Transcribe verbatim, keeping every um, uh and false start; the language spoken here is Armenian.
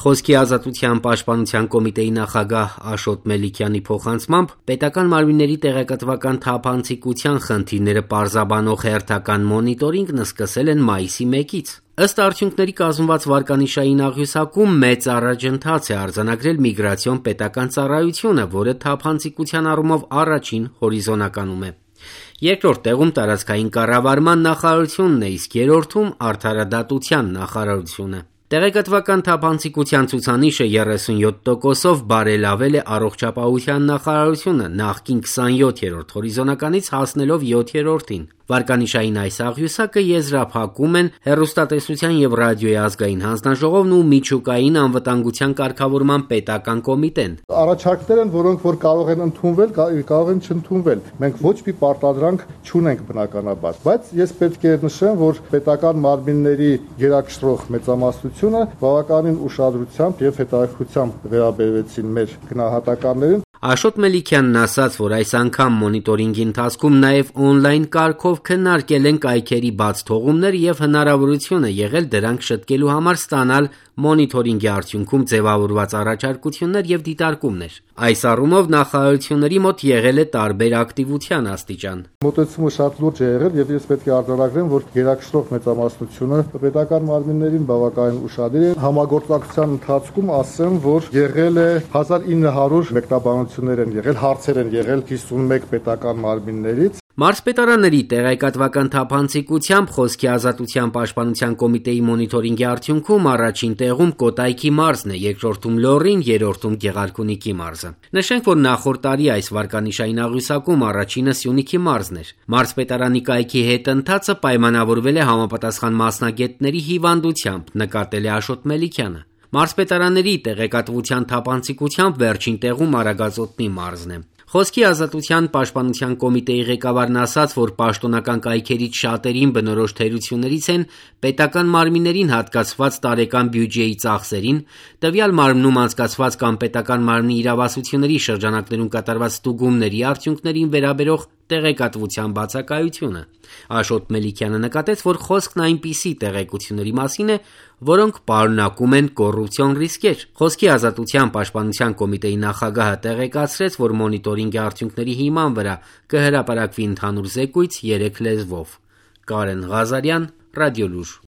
Խոսքի ազատության պաշտպանության կոմիտեի նախագահ Աշոտ Մելիքյանի փոխանցմամբ պետական մարմինների տեղեկատվական թափանցիկության խնդիրները պարզաբանող հերթական մոնիտորինգն սկսել են մայիսի մեկից։ Ըստ արդյունքների կազմված վարկանիշային աղյուսակում մեծ առաջընթաց է արձանագրել միգրացիոն պետական ծառայությունը, որը թափանցիկության առումով առաջին հորիզոնականում է։ Երկրորդ տեղում տարածքային կառավարման նախարարությունն է, իսկ երրորդում արդարադատության նախարարությունը։ Տեղեկատվական թափանցիկության ցուցանիշը երեսունյոթ տոկոսով բարելավել է առողջապահության նախարարությունը նախկին քսանյոթերորդ հորիզոնականից հասնելով յոթերորդին։ Վարկանիշային այս աղյուսակը եզրափակում են հեռուստատեսության եւ ռադիոյի ազգային հանձնաժողովն ու միջուկային անվտանգության կարգավորման պետական կոմիտեն։ Առաջարկներ են, որոնք որ կարող են ընդունվել, կարող են չընդունվել։ Մենք ոչ մի պարտադրանք չունենք բնականաբար, բայց ես պետք է նշեմ, որ պետական մարմինների գերակշռող մեծամասնությունը բավականին ուշադրությամբ եւ հետաքրքրությամբ վերաբերվեցին մեր գնահատականներին։ Աշոտ Մելիքյանն ասաց, որ այս անգամ մոնիտորինգի ընթացքում նաև օնլայն կարգով քննարկել են կայքերի բաց թողումներ եւ հնարավորություն է եղել դրանք շտկելու համար ստանալ մոնիտորինգի արդյունքում ձևավորված առաջարկություններ եւ դիտարկումներ։ Այս առումով նախարարությունների մոտ եղել է տարբեր ակտիվության աստիճան։ Մոտեցումը շատ լուրջ է եղել եւ ես պետք է արձանագրեմ, որ գերակշռող մեծամասնությունը պետական մարմիններին բավականին ուշադիր է։ Համագործակցության ընթացքում ասեմ, որ եղել է հազար ինը հարյուր մեկնաբանություններ են եղել, հարցեր են եղել հիսունմեկ պետական մարմիններից։ Մարզպետարանների տեղեկատվական թափանցիկությամբ խոսքի ազատության պաշտպանության կոմիտեի մոնիտորինգի արդյունքում առաջին տեղում Կոտայքի մարզն է, երկրորդում Լոռին, երրորդում Գեղարքունիքի մարզը։ Նշենք, որ նախորդ տարի այս վարկանիշային աղյուսակում առաջինը Սյունիքի մարզն էր։ Մարզպետարանի կայքի հետ ընթացը պայմանավորվել է համապատասխան մասնագետների հիվանդությամբ, նկատել է Աշոտ Մելիքյանը։ Մարզպետարանների տեղեկատվության թափանցիկությամբ վերջին տեղում Արագածոտնի մարզն է։ Խոսքի ազատության պաշտպանության կոմիտեի ղեկավարն ասաց, որ պաշտոնական կայքերից շատերին բնորոշ թերություններից են պետական մարմիններին հատկացված տարեկան բյուջեի ծախսերին, տվյալ մարմնում անցկացված կամ պետական մարմնի իրավասությունների շրջանակներում կատարված ստուգումների արդյունքներին վերաբերող տեղեկատվության բացակայությունը։ Աշոտ Մելիքյանը նկատեց, որ խոսքն այնպիսի տեղեկությունների մասին է, որոնք պարունակում են կոռուպցիոն ռիսկեր։ Խոսքի ազատության պաշտպանության կոմիտեի նախագահը տեղեկացրեց, որ մոնիտորինգի արդյունքների հիման վրա կհրապարակվի ընդհանուր զեկույց երեք լեզվով։ Կարեն Ղազարյան, Ռադիոլուր։